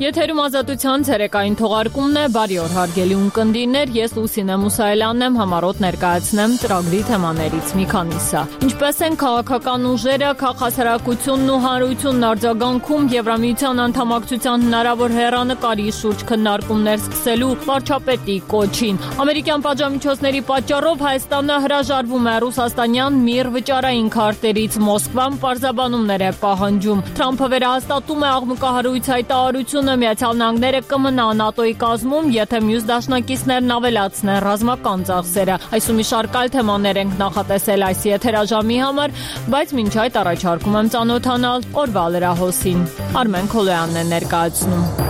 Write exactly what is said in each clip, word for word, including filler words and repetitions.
Եթերում Ազատության ցերեկային թողարկումն է, բարի օր հարգելի ունկնդիրներ, ես Լուսինե Մուսայելյանն եմ, համառոտ ներկայացնեմ ծրագրի թեմաներից մի քանիսը։ Ինչպես են քաղաքական ուժերը, քաղաքասարակությունն ու հանրությունն արձագանքում Եվրամիության անդամակցության հնարավոր հեռանկարի շուրջ քննարկումներ սկսելու վարչապետի կոչին։ Ամերիկյան պատժամիջոցների պատճառով Հայաստանը հրաժարվում է ռուսաստանյան միր վճարային քարտերից, Մոսկվան պարզաբանումներ է պահանջում։ Թրամփը վերահաստատում է աղմկահարույց հայտարարությունը, Միացյալ Նահանգները կմնա ՆԱՏՕ-ի կազմում, եթե մյուս դաշնակիցներն ավելացնեն ռազմական ծախսերը։ Այս ու մի շարք այլ թեմաներ ենք նախատեսել այս եթերաժամի համար, բայց մինչ այդ առաջարկում եմ ծանոթանալ օրվա լրահոսին։ Արմեն Քոլոյանն է ներկայացնում։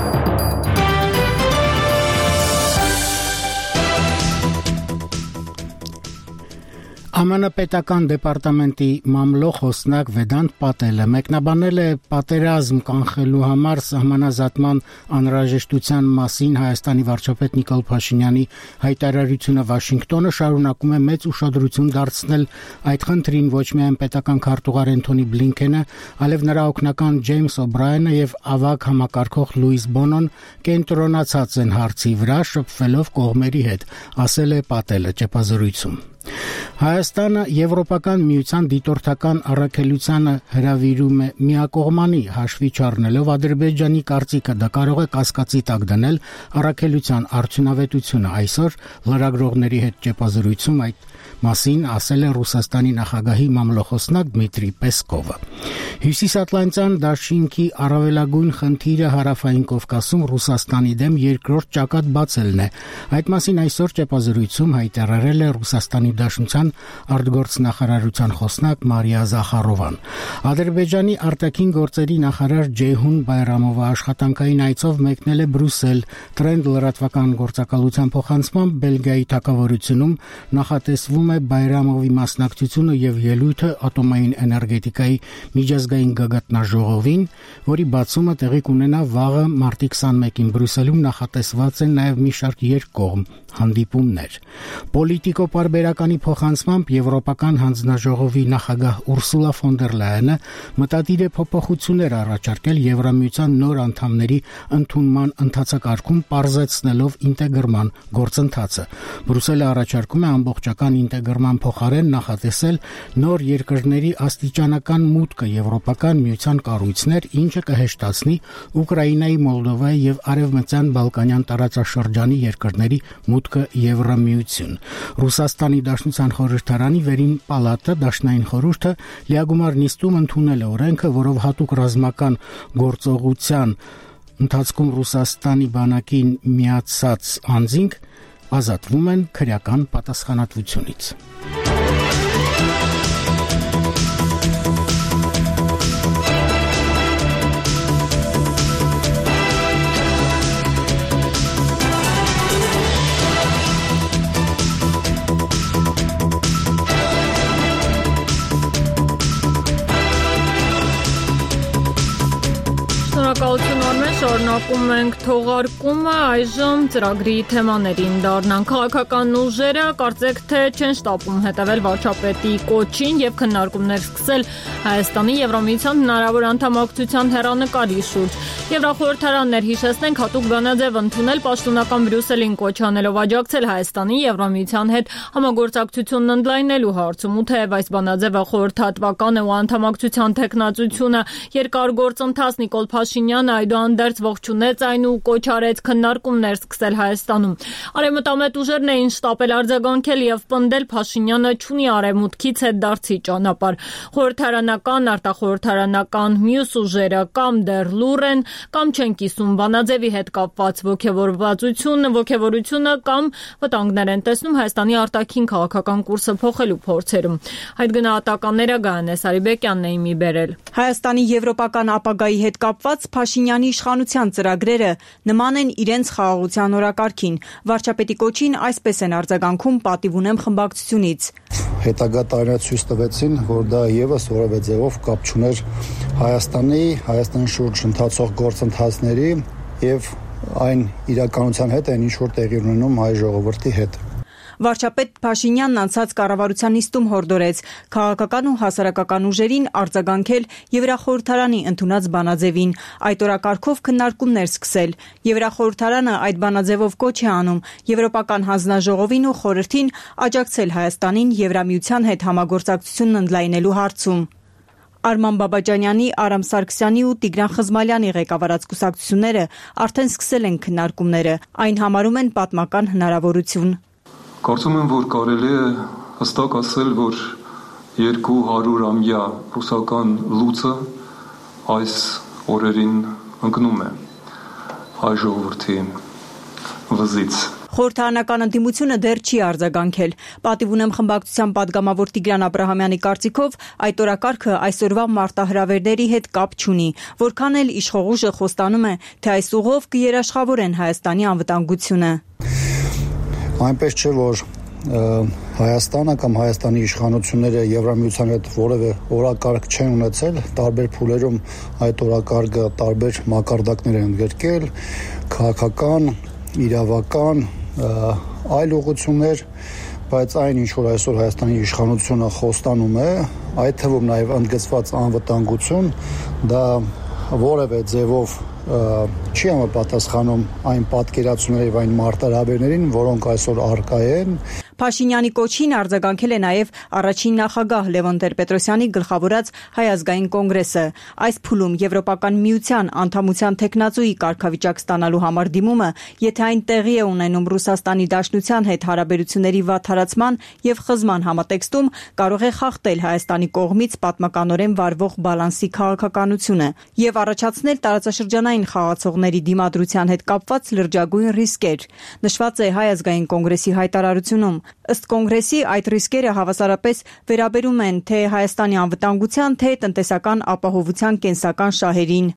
ԱՄՆ պետական դեպարտամենտի մամլո խոսնակ Վեդանտ Պատելը մեկնաբանել է պատերազմ կանխելու համար սահմանազատման անհրաժեշտության մասին Հայաստանի վարչապետ Նիկոլ Փաշինյանի հայտարարությունը։ Վաշինգտոնը շարունակում է մեծ ուշադրություն դարձնել այդ խնդրին, ոչ միայն պետական քարտուղար Էնթոնի Բլինքենը, այլև նրա օգնական Ջեյմս Օբրայենը եւ ավագ համակարգող Լուիս Բոնոն կենտրոնացած են հարցի վրա, շփվելով կողմերի հետ, ասել է Պատելը ճեպազրույցում։ Հայաստանը Եվրոպական միության դիտորդական առաքելությանը հրավիրում է միակողմանի, հաշվի չառնելով Ադրբեջանի կարծիքը, դա կարող է կասկածի տակ դնել առաքելության արդյունավետությունը։ Այսօր լրագրողների հետ ճեպազրույցում այդ մասին ասել է Ռուսաստանի նախագահի մամլոխոսնակ Դմիտրի Պեսկովը։ Հյուսիսատլանտյան դաշինքի առավելագույն խնդիրը Հարավային Կովկասում Ռուսաստանի դեմ երկրորդ ճակատ բացելն է։ Այդ մասին այսօր ճեպազրույցում հայտարարել է Ռուսաստանի Դաշնության արտգործնախարարության խոսնակ Մարիա Զախարովան։ Ադրբեջանի արտաքին գործերի նախարար Ջեյհուն Բայրամովը աշխատանքային այցով մեկնել է Բրյուսել։ Տրենդ լրատվական գործակալության փոխանցմամբ Բելգիայի թագավորությունում նախատեսվում է Բայրամովի մասնակցությունը եւ ելույթը ատոմային էներգետիկայի միջազգային գագաթնաժողովին, որի բացումը տեղի կունենա վաղը մարտի քսանմեկին Բրյուսելում նախատեսված են նաեւ մի շարք երկկողմ հանդիպումներ։ Պոլիտիկո պարբերականի փոխանցմամբ Եվրոպական հանձնաժողովի նախագահ Ուրսուլա ֆոն դեր Լայենը մտադիր է փոփոխություններ առաջարկել Եվրամիության նոր անդամների ընդունման ընթացակարգում, պարզեցնելով ինտեգրման գործընթացը։ Բրյուսելը առաջարկում է ամբողջական ինտեգրման փոխարեն նախատեսել նոր երկրների աստիճանական մուտքը Եվրոպական միության կառույցներ, ինչը կհեշտացնի Ուկրաինայի, Մոլդովայի եւ Արևմտյան Բալկանյան տարածաշրջանի երկրների մուտքը Եվրամիություն։ Ռուսաստանի Դաշնության խորհրդարանի վերին պալատը դաշնային խորհուրդը լիագումար նիստում ընդունել է օրենքը, որով հատուկ ռազմական գործողության ընթացքում Ռուսաստանի բանակին միացած անձինք ազատվում են քրեական պատասխանատվությունից։ Շնորհակալություն Արմեն, շարունակում ենք թողարկումը, այժմ ծրագրի թեմաներին դառնանք։ Քաղաքական ուժերը կարծեք թե չեն շտապում հետևել վարչապետի կոչին եւ քննարկումներ սկսել Հայաստանի Եվրամիության հնարավոր անդամակցության հեռանկարի շուրջ։ Եվրախորհրդարաններ, հիշեցնենք, հատուկ բանաձև ընդունել պաշտոնական Բրյուսելին կոչ անելով աջակցել Հայաստանի Եվրամիության հետ համագործակցությունն ընդլայնելու հարցում, ու թեև այս բանաձևը խորհրդատվական է ու անդամակցության տեխնացությունը երկար գործընթաց, Նիկոլ Փաշինյանը այդուհանդերձ ողջունեց այն ու կոչ արեց քննարկումներ սկսել Հայաստանում։ Արևմտամետ ուժերն էին շտապել արձագանքել եւ պնդել Փաշինյանը չունի արևմուտքից հետ դարձի ճանապարհ։ Խորհրդարանական, արտախորհրդարանական մյուս ուժերը կամ դեռ լուռ են, կամ չեն կիսում բանաձևի հետ կապված ոգևորվածությունը, ոգևորությունը կամ վտանգներ են տեսնում Հայաստանի արտաքին քաղաքական կուրսը փոխելու փորձերում։ Այդ գնահատականները Գայանե Սարիբեկյանն էին մի բերել։ Հայաստանի եվրոպական ապագայի հետ կապված Փաշինյանի իշխանության ծրագրերը նման են իրենց խաղաղության օրակարգին։ Վարչապետի կոչին այսպես են արձագանքում պատիվ ունեմ խմբակցությունից։ Հետագա տարիներ ցույց տվեցին, որ դա եւս որևէ ձևով կապ չուներ Հայաստանի, Հայաստանի շուրջ ընթացող գործընթացների եւ այն իրականության հետ, այն ինչ որ տեղի ունենում հայ ժողովրդի հետ։ Վարչապետ Փաշինյանն անցած կառավարության նիստում հորդորեց քաղաքական ու հասարակական ուժերին արձագանքել Եվրախորհրդարանի ընդունած բանաձևին, այդ օրակարգով քննարկումներ սկսել։ Եվրախորհրդարանը այդ բանաձևով կոչ է անում Եվրոպական հանձնաժողովին ու խորհրդին աջակցել Հայաստանին Եվրամիության հետ համագործակցությունն ընդլայնելու հարցում։ Արման Բաբաջանյանի, Արամ Սարգսյանի ու Տիգրան Խզմալյանի ղեկավարած կուսակցությունները արդեն սկսել են քննարկումները, այն համարում են պատմական հնարավորություն։ Կարծում եմ, որ կարելի է հստակ ասել, որ երկու հարյուրամյա ռուսական լուծը այս օրերին ընկնում է հայ ժողովրդի վզից։ Խորհրդարանական ընդդիմությունը դեռ չի արձագանքել։ Պատիվ ունեմ խմբակցության падգամավոր Տիգրան Աբրահամյանի կարծիքով այդ օրակարգը այսօրվա մարտահրավերների հետ կապ չունի, որքան էլ իշխող ուժը խոստանում է, թե այս ուղով կերաշխավորեն Հայաստանի անվտանգությունը։ Այնպես չէ, որ Հայաստանը կամ Հայաստանի իշխանությունները Եվրամիության հետ որևէ օրակարգ չեն ունեցել, տարբեր փուլերում այդ օրակարգը տարբեր մակարդակներ են ընդգրկել, քաղաքական, իրավական, այլ ուղղություններ, բայց այն ինչ որ այսօր Հայաստանի իշխանությունը խոստանում է, այդ թվում նաև ընդգծված անվտանգություն, դա որևէ ձևով չի համապատասխանում այն պատկերացումների եւ այն մարտահրավերներին, որոնք այսօր առկա են։ Փաշինյանի կոչին արձագանքել է նաև առաջին նախագահ Լևոն Տեր-Պետրոսյանի գլխավորած Հայ ազգային կոնգրեսը։ Այս փուլում Եվրոպական միության անդամության տեխնացուի կարգավիճակ ստանալու համար դիմումը, եթե այն տեղի է ունենում Ռուսաստանի Դաշնության հետ հարաբերությունների վատթարացման եւ խզման համատեքստում, կարող է խախտել Հայաստանի կողմից պատմականորեն վարվող բալանսի քաղաքականությունը եւ առաջացնել տարածաշրջանային խաղացողների դիմադրության հետ կապված լրջագույն ռիսկեր։ Նշված է Հայ ազգային կոնգրեսի հայտարարությունում։ Ըստ կոնգրեսի այդ ռիսկերը հավասարապես վերաբերում են թե Հայաստանի անվտանգության, թե տնտեսական ապահովության կենսական շահերին։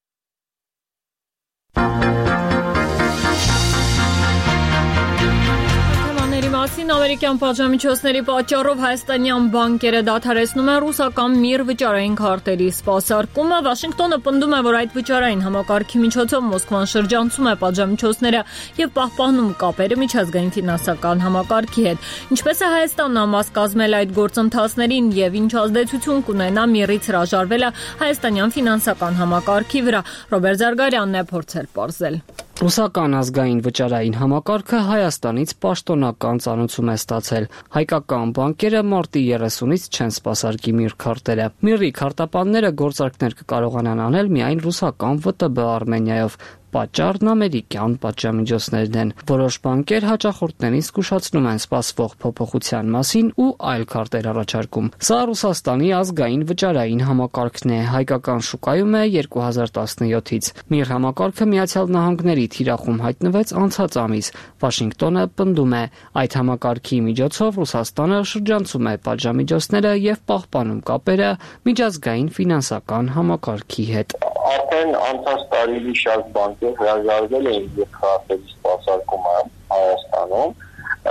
Մասին ամերիկյան պատժամիջոցների պատճառով հայաստանյան բանկերը դադարեցնում են ռուսական միր վճարային քարտերի սպասարկումը։ Վաշինգտոնը պնդում է, որ այդ վճարային համակարգի միջոցով Մոսկվան շրջանցում է պատժամիջոցները եւ պահպանում կապերը միջազգային ֆինանսական համակարգի հետ։ Ինչպես է Հայաստանն ամաս կազմել այդ գործընթացներին եւ ինչ ազդեցություն կունենա միրից հրաժարվելը հայաստանյան ֆինանսական համակարգի վրա։ Ռոբերտ Զարգարյանն է փորձել պարզել։ Ռուսական ազգային վճարային համակարգը Հայաստանից պաշտոնական ծանուցում է ստացել։ Հայկական բանկերը մարտի երեսունից չեն սպասարկի միր քարտերը։ Միրի քարտապանները գործարքներ կկարողանան անել միայն ռուսական ՎՏԲ Արմենիայով։ Պատճառն ամերիկյան պատժամիջոցներն են։ Որոշ բանկեր հաճախորդներին զգուշացնում են սպասվող փոփոխության մասին ու այլ քարտեր առաջարկում։ Սա Ռուսաստանի ազգային վճարային համակարգն է, հայկական շուկայում է երկու հազար տասնյոթից։ Միր համակարգը Միացյալ Նահանգների թիրախում հայտնվեց անցած ամիս։ Վաշինգտոնը պնդում է, այդ համակարգի միջոցով Ռուսաստանը շրջանցում է պատժամիջոցները եւ պահպանում կապերը միջազգային ֆինանսական համակարգի հետ։ Արդեն անցած տարի շատ բանկեր հրաժարվել են եւ քարտերի սպասարկումը Հայաստանում։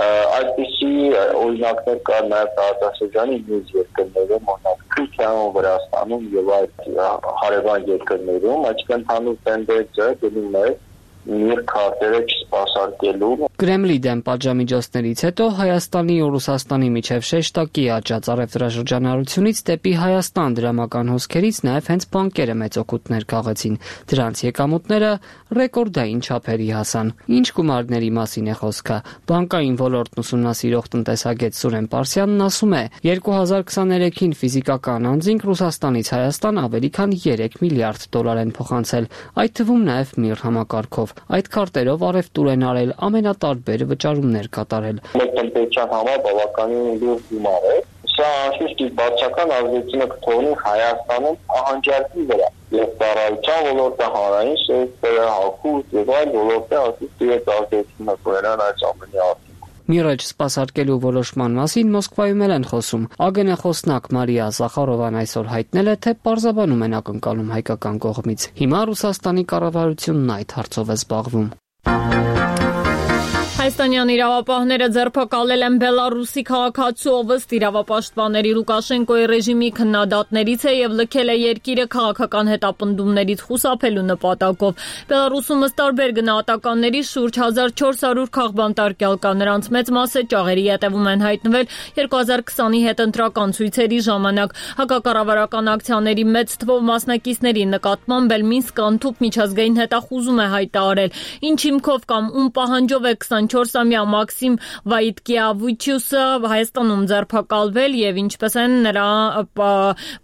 Այդպիսի օրինակներ կար նաև տարածաշրջանի մյուս երկրներում, օրինակ Թուրքիայում, Վրաստանում եւ այդ հարևան երկրներում, այսինքն հանուն տենդենսը դնում է միր քարտերը չսպասարկելու։ Կրեմլի դեմ պատժամիջոցներից հետո Հայաստանի ու Ռուսաստանի միջև շեշտակի աճած առևտրաշրջանառությունից դեպի Հայաստան դրամական հոսքերից նաև հենց բանկերը մեծ օգուտներ քաղեցին։ Դրանց եկամուտները ռեկորդային չափերի հասան։ Ինչ գումարների մասին է խոսքը։ Բանկային ոլորտն ուսումնասիրող տնտեսագետ Սուրեն Պարսյանն ասում է, երկու հազար քսաներեքին ֆիզիկական անձինք Ռուսաստանից Հայաստան ավելի քան երեք միլիարդ դոլար են փոխանցել, այդ թվում նաև միր համակարգով։ Այդ քարտերով առևտուր են արել, ամենատարբեր վճարումներ կատարել։ Մեր տնտեսության համար բավականին լուրջ գումար է։ Սա անշուշտ բացական ազդեցություն կթողնի Հայաստանում ահանջարկի վրա եւ ծառայության ոլորտը, հանրային սեկտորը, հագուստ եւ այլ ոլորտներ ասում իրենց ազդեցությունը կունենան այս ամենի արդյունքում։ Միրը չսպասարկելու որոշման մասին Մոսկվայում են խոսում։ ԱԳՆ խոսնակ Մարիա Զախարովան այսօր հայտնել է, թե պարզաբանում են ակնկալում հայկական կողմից։ Հիմա Ռուսաստանի կառավարությունն այդ հարցով է զբաղվում։ Հայաստանյան իրավապահները ձերբակալել են Բելարուսի քաղաքացու, ով ըստ իրավապաշտպանների Լուկաշենկոյի ռեժիմի քննադատներից է եւ լքել է երկիրը քաղաքական հետապնդումներից խուսափելու նպատակով։ Բելարուսում ըստ տարբեր գնահատականների շուրջ հազար չորս հարյուր քաղբանտարկյալ կա, նրանց մեծ մասը ճաղերի ետևում են հայտնվել երկու հազար քսանի հետընտրական ցույցերի ժամանակ։ Հակակառավարական ակցիաների մեծ թվով մասնակիցների նկատմամբ էլ Մինսկ անթուփ միջազգային հետախուզում է հայտարարել։ Ինչ հիմքով կամ ում պահանջով է քսանչորսամյա Մաքսիմ Վայտկիավիչյուսը Հայաստանում ձերբակալվել եւ ինչպես են նրա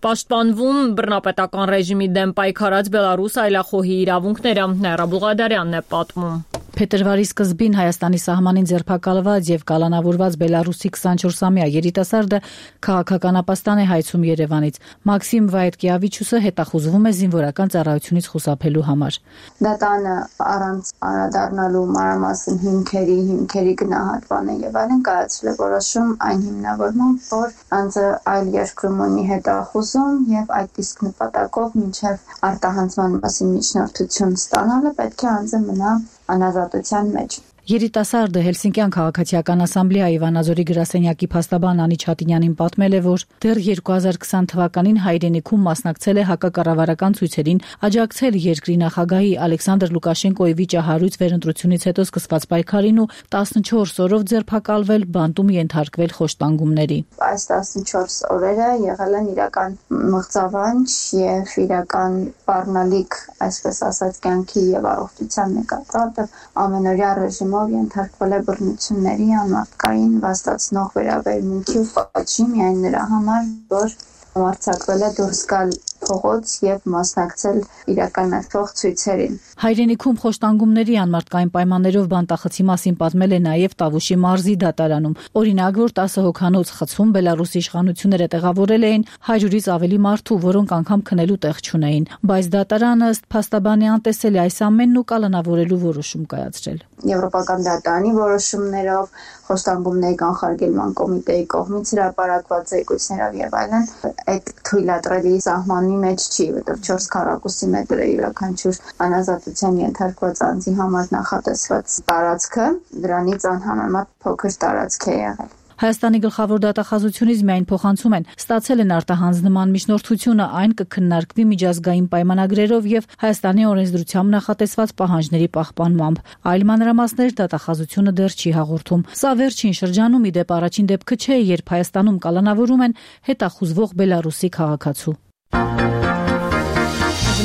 պաշտպանվում բռնապետական ռեժիմի դեմ պայքարած Բելարուս այլախոհի իրավունքները։ Նաիրա Բուղադարյանն է պատմում։ Փետրվարի սկզբին Հայաստանի սահմանին ձերբակալված եւ կալանավորված Բելարուսի քսանչորսամյա երիտասարդը քաղաքականապաստան է հայցում Երևանից։ Մաքսիմ Վայտկիավիչյուսը հետախուզվում է զինվորական ծառայությունից խուսափելու համար։ Դատանը առանց անդրադառնալու մանրամասն հիմքերի, հիմքերի գնահատման եւ այլն կայացրել է որոշում այն հիմնավորմամբ, որ անձը այլ երկրում ունի հետախուզում եւ այդ իսկ նպատակով մինչեւ արտահանձնման մասին միջնորդություն ստանալը պետք է անձը մնա անազատության մեջ։ Երիտասարդը Հելսինկյան քաղաքացիական ասամբլեայի Վանաձորի գրասենյակի փաստաբան Անիչ Հատինյանին պատմել է, որ դեռ երկու հազար քսան թվականին հայրենիքում մասնակցել է հակակառավարական ցույցերին, աջակցել երկրի նախագահի Ալեքսանդր Լուկաշենկոյի վիճահարույց վերընտրությունից հետո սկսված պայքարին ու տասնչորս օրով ձերբակալվել, բանտում ենթարկվել խոշտանգումների։ Այս տասնչորս օրերը եղել են իրական մղձավանջ եւ իրական բառնալիք, այսպես ասած, կյանքի եւ առողջության նկատմամբ ամենօրյա ռեժիմը ենթարկվել է բռնությունների, անմարդկային վաստացնող վերաբերմունքի ու պատժի միայն նրա համար, որ արձակվել է դուրս գալ փողոց եւ մասնակցել իրականացող ցույցերին։ Հայրենիքում խոշտանգումների անմարդկային պայմաններով բանտախցի մասին պատմել է նաեւ Տավուշի մարզի դատարանում։ Օրինակ, որ տասը հոգանոց խցում Բելարուսի իշխանությունները տեղավորել էին հարյուրից ավելի մարդու, որոնք անգամ քնելու տեղ չունեին, բայց դատարանը ըստ փաստաբանի անտեսել է այս ամենն ու կալանավորելու որոշում կայացրել։ Եվրոպական դատարանի որոշումներով, խոշտանգումների կանխարգելման կոմիտեի կողմից հրապարակված զեկույցներով եւ այլն այդ թույլատրելի սահմանի մեջ չի, որտեղ չորս քառակուսի մետր է յուրաքանչյուր անազատության ենթարկված անձի համար նախատեսված տարածքը, դրանից անհամեմատ փոքր տարածք է եղել։ Հայաստանի գլխավոր դատախազությունից միայն փոխանցում են ստացել են արտահանձնման միջնորդությունը, այն կքննարկվի միջազգային պայմանագրերով եւ Հայաստանի օրենսդրությամբ նախատեսված պահանջների պահպանմամբ։ Այլ մանրամասներ դատախազությունը դեռ չի հաղորդում։ Սա վերջին շրջանում ի դեպ առաջին դեպքը չէ, երբ Հայաստանում կալանավորում են հետախուզվող Բելարուսի քաղաքացու։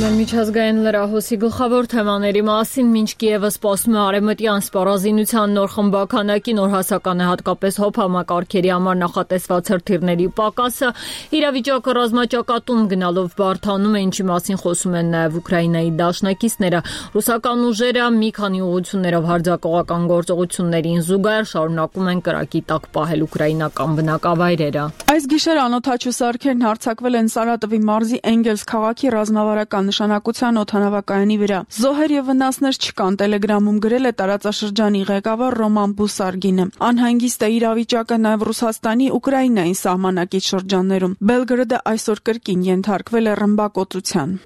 Միջազգային լրահոսի գլխավոր թեմաների մասին մինչ Կիևը սպասում է արևմտյան սպառազինության նոր խմբականակի, նոր հասական է հատկապես հոբ համակարգերի համար նախատեսված հրթիռների պակասը, իրավիճակը ռազմաճակատում գնալով բարդանում է, ինչի մասին խոսում են նաև Ուկրաինայի դաշնակիցները։ Ռուսական ուժերը մի քանի ուղղություններով հարձակողական գործողություններին զուգահեռ շարունակում են կրակի տակ պահել ուկրաինական բնակավայրերը։ Այս գիշեր անօդաչու սարքերն հարձակվել են Սարատովի մարզի Էնգելս քաղաքի ռազմավարական նշանակության օդանավակայանի վրա։ Զոհեր եւ վնասներ չկան, Տելեգրամում գրել է տարածաշրջանի ղեկավար Ռոման Բուսարգինը։ Անհանգիստ է իրավիճակը նաեւ Ռուսաստանի Ուկրաինայի սահմանակից շրջաններում։ Բելգրադը այսօր կրկին ենթարկվել է ռմբակոծության։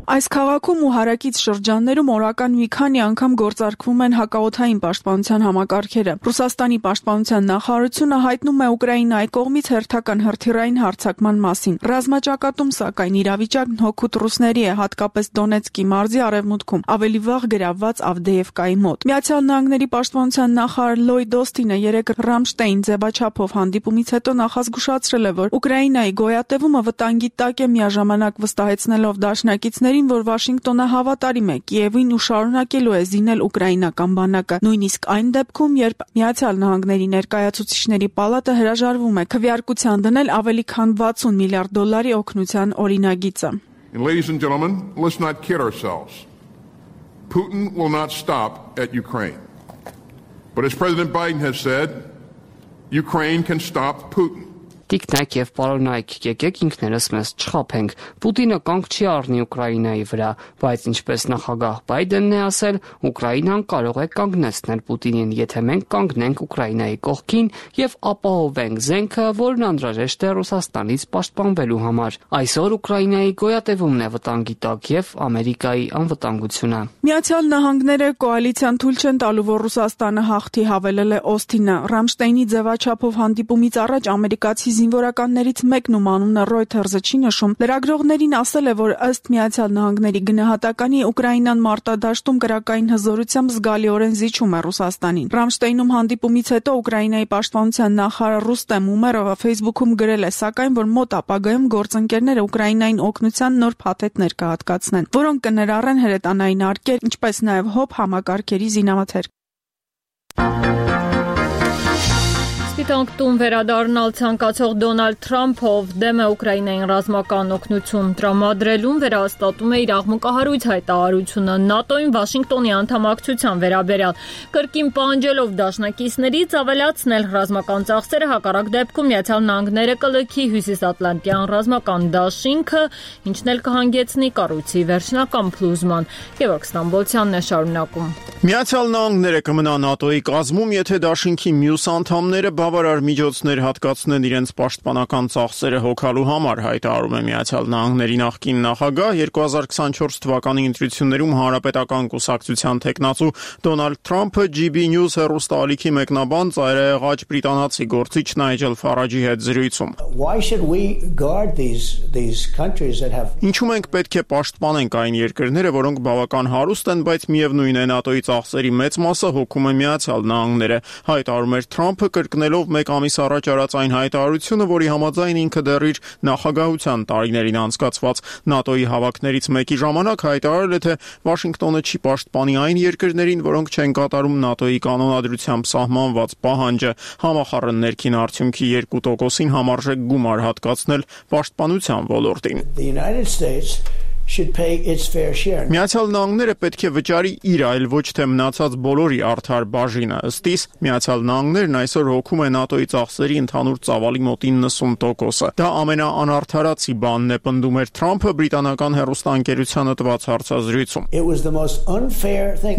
Այս քաղաքում ու հարակից շրջաններում օրական մի քանի անգամ գործարկվում են հակաօդային պաշտպանության համակարգերը։ Ռուսաստանի պաշտպանության նախարարությունը հայտնում է Ուկրաինայի կողմից հերթական հրթիռային հարձակման մասին։ Ռազմաճակատում, սակայն, իրավիճակն հօգուտ ռուսների է, հատկապես Դոնեցկի մարզի արևմուտքում, ավելի վաղ գրավված Ավդեևկայի մոտ։ Միացյալ Նահանգների պաշտպանության նախարար Լոյդ Օստինը երեկ Ռամշտեյն ձևաչափով հանդիպումից հետո նախազգուշացրել է, որ Ուկրաինայի գոյատևումը վտանգի տակ է, միաժամանակ վստահեցնելով դաշնակիցների որ Վաշինգտոնը հավատարիմ է Կիևին ու շարունակելու է զինել ուկրաինական բանակը, նույնիսկ այն դեպքում, երբ Միացյալ Նահանգների ներկայացուցիչների պալատը հրաժարվում է քվեարկության դնել ավելի քան վաթսուն միլիարդ դոլարի օգնության օրինագիծը։ Ladies and gentlemen, let's not kid ourselves. Putin will not stop at Ukraine. But as President Biden has said, Ukraine can stop Putin. Տիկնակ եւ պարոնայք եկեք ինքներս մեզ չխաբենք։ Պուտինը կանգ չի առնի Ուկրաինայի վրա, բայց ինչպես նախագահ Բայդենն է ասել, Ուկրաինան կարող է կանգնեցնել Պուտինին, եթե մենք կանգնենք Ուկրաինայի կողքին եւ ապահովենք զենքը, որն անհրաժեշտ է Ռուսաստանից պաշտպանվելու համար։ Այսօր Ուկրաինայի գոյատևումն է վտանգի տակ եւ Ամերիկայի անվտանգությունը։ Միացյալ Նահանգները կոալիցիան թույլ չեն տալու, որ Ռուսաստանը հաղթի, հավելել է Օսթինը։ Ռամշտեյնի ձևաչափով հանդիպումից առաջ ամերիկացի զինվորականներից մեկն, ում անունը Reuters-ը չի նշում, լրագրողներին ասել է, որ ըստ Միացյալ Նահանգների գնահատականի Ուկրաինան մարտադաշտում կրակային հզորությամբ զգալիորեն զիջում է Ռուսաստանին։ Ռամշտեյնում հանդիպումից հետո Ուկրաինայի պաշտպանության նախարար Ռուստեմ Ումերովը Facebook-ում գրել է, սակայն որ մոտ ապագայում գործընկերները Ուկրաինային օգնության նոր փաթեթներ կհատկացնեն, որոնք կներառեն հրետանային արկեր, ինչպես նաև հոբ համակարգերի զինամթերք։ Սպիտակ տուն վերադառնալ ցանկացող Դոնալդ Թրամփը, ով դեմ է Ուկրաինային ռազմական օգնություն տրամադրելուն, վերահաստատում է իր աղմկահարույց հայտարարությունը ՆԱՏՕ-ին Վաշինգտոնի անդամակցության վերաբերյալ, կրկին պահանջելով դաշնակիցներից ավելացնել ռազմական ծախսերը, հակառակ դեպքում Միացյալ Նահանգները կլքի Հյուսիսատլանտյան ռազմական դաշինքը, ինչն էլ կհանգեցնի կառույցի վերջնական փլուզման։ Գևորգ Ստամբոլցյանն է շարունակում։ Միացյալ Նահանգները կմնա ՆԱՏՕ-ի կազմում, եթե դաշինքի մյուս անդամները բավարար միջոցներ հատկացնեն իրենց պաշտպանական ծախսերը հոգալու համար, հայտարարում է Միացյալ Նահանգների նախկին նախագահ երկու հազար քսանչորս թվականի ընտրություններում հանրապետական կուսակցության տեխնացու Դոնալդ Թրամփը ջի բի News հեռուստաալիքի մեկնաբան ծայրահեղաջ բրիտանացի գործիչ Նայջել Ֆարաջի հետ զրույցում։ Ինչու մենք պետք է պաշտպանենք այն երկրները, որոնք բավական հարուստ են, բայց միևնույն է ՆԱՏՕ-ի ծախսերի մեծ մասը հոգում է Միացյալ Նահանգները, հայտարարում էր Թրամփը, կրկնելով մեկ ամիս առաջ արած այն հայտարարությունը, որի համաձայն ինքը դեռ իր նախագահության տարիներին անցկացված ՆԱՏՕ-ի հավաքներից մեկի ժամանակ հայտարարել է, թե Վաշինգտոնը չի պաշտպանի այն երկրներին, որոնք չեն կատարում ՆԱՏՕ-ի կանոնադրությամբ սահմանված պահանջը, համախառն ներքին արդյունքի երկու տոկոսին համարժեք գումար հատկացնել պաշտպանության ոլորտին։ Միացյալ Նահանգները պետք է վճարի իր, այլ ոչ թե մնացած բոլորի արդար բաժինը։ Ըստ իս, Միացյալ Նահանգներն այսօր հոգում է ՆԱՏՕ-ի ծախսերի ընդհանուր ծավալի մոտ իննսուն տոկոսը։ Դա ամենաանարդարացի բանն է, պնդում էր Թրամփը բրիտանական հեռուստաընկերությանը տված հարցազրույցում։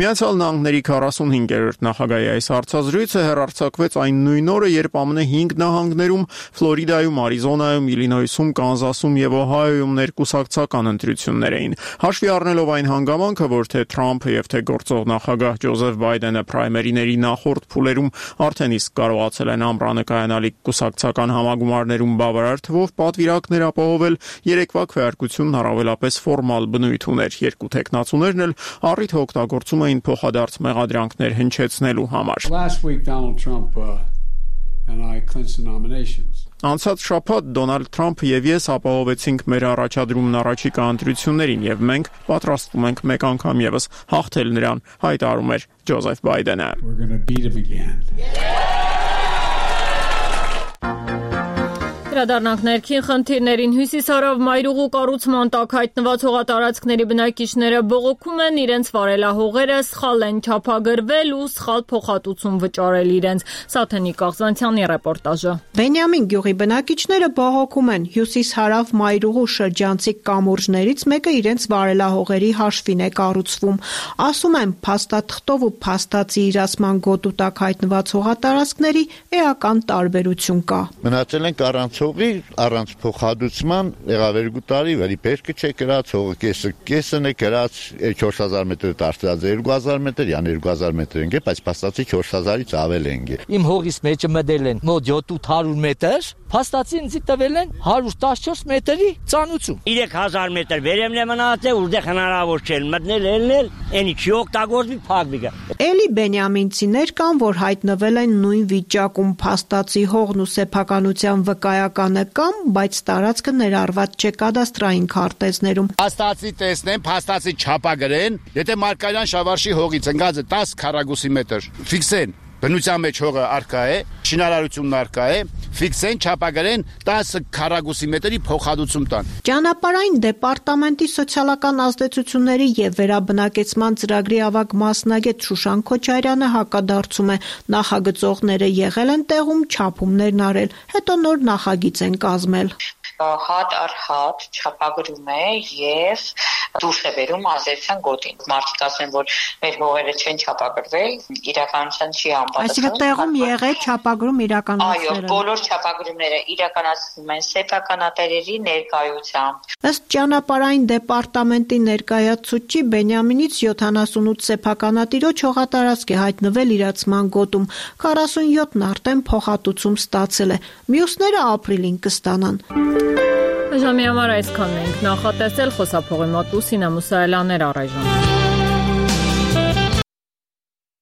Միացյալ Նահանգների քառասունհինգերորդ նախագահի այս հարցազրույցը հեռարձակվեց այն նույն օրը, երբ ԱՄՆ հինգ նահանգներում՝ Ֆլորիդայում, Արիզոնայում, Իլինոյսում, Կանզասում եւ Օհայոյում ներկուսակցական ընտրություն էին։ Հաշվի առնելով այն հանգամանքը, որ թե Թրամփը եւ թե գործող նախագահ Ջոզեֆ Բայդենը պրայմերիների նախորդ փուլերում արդեն իսկ կարողացել են ամռանը կայանալիք կուսակցական համագումարներում բավարար թվով պատվիրակներ ապահովել, երեկվա քվեարկությունն առավելապես ֆորմալ բնույթ ուներ։ Երկու տեխնացուներն էլ առիթ օգտագործում էին փոխադարձ մեղադրանքներ հնչեցնելու համար։ Անցած շաբաթ Դոնալդ Թրամփը եւ ես ապահովեցինք մեր առաջադրումն առաջիկա ընտրություններին եւ մենք պատրաստվում ենք մեկ անգամ եւս հաղթել նրան, հայտարարում էր Ջոզեֆ Բայդենը։ Վերադառնանք ներքին խնդիրներին։ Հյուսիսարավ մայրուղու կառուցման տակ հայտնված հողատարածքների բնակիչները բողոքում են իրենց վարելահողերը սխալ են չափագրվել ու սխալ փոխհատուցում վճարել իրենց։ Սաթենիկ Աղզանցյանի ռեպորտաժը։ Բենյամին գյուղի բնակիչները բողոքում են հյուսիսհարավ մայրուղու շրջանցիկ կամուրջներից մեկը իրենց վարելահողերի հաշվին է կառուցվում։ Ասում են, փաստաթղթով ու փաստացի իրացման գոտու տակ հայտնված հողատարածքների էական տարբերություն կա։ Մնացել են առանց հողի, առանց փոխհատուցման եղավ երկու տարի, վերի պերկը չէ գրած, հողը կեսը կեսն է գրած, չորս հազար մետր դարձած է երկու հազար մետր, յան երկու հազար մետր են, բայց փաստացի չորս հազարից ավել են։ Իմ հողից մեջը մտել են մոտ յոթ հարյուր մետր, փաստացի ինձ տվել են հարյուր տասնչորս մետրի ծանուցում։ երեք հազար մետր վերևն է մնացել, որտեղ հնարավոր չէ մտնել, ելնել, այնի չի օգտագործվի, փակվի գա։ Էլի բենյամինցիներ կան, որ հայտնվել են նույն վիճակում, փաստացի հողն ու սեփականության վկայականը կամ, բայց տարածքը ներառված չէ կադաստրային քարտեզներում։ Փաստացի տեսնեն, փաստացի չափագրեն, եթե Մարկարյան Շավարշի հողից ընկած է դես քառակուսի մետր, ֆիքսեն։ Բնության մեջ հողը արկա է, շինարարությունն արկա է, ֆիքսեն, չափագրեն տասը քառակուսի մետրի փոխհատուցում տան։ Ճանապարհային դեպարտամենտի սոցիալական ազդեցությունների եւ վերաբնակեցման ծրագրի ավագ մասնագետ Շուշան Քոչարյանը հակադարձում է, նախագծողները եղել են տեղում, չափումներն արել, հետո նոր նախագիծ են կազմել։ Հատ առ հատ չափագրում է եւ դուրս է բերում ազդեցության գոտին։ Մարդիկ ասեն, որ մեր հողերը չեն չափագրվել, իրականության չի անպատասխան։ Այսինքն տեղում եղել չափագրում իրականացվել։ Այո, բոլոր չափագրումները իրականացվում են սեփականատերերի ներկայությամբ։ Ըստ ճանապարհային դեպարտամենտի ներկայացուցիչ Բենյամինից յոթանասունութ սեփականատիրոջ հողատարածք է հայտնվել իրացման գոտում, քառասունյոթն արդեն փոխհատուցում ստացել է, մյուսները ապրիլին կստանան։ Ժամի համար այսքանն ենք նախատեսել, խոսափողի մոտ Լուսինե Մուսայելյաններ առայժմ։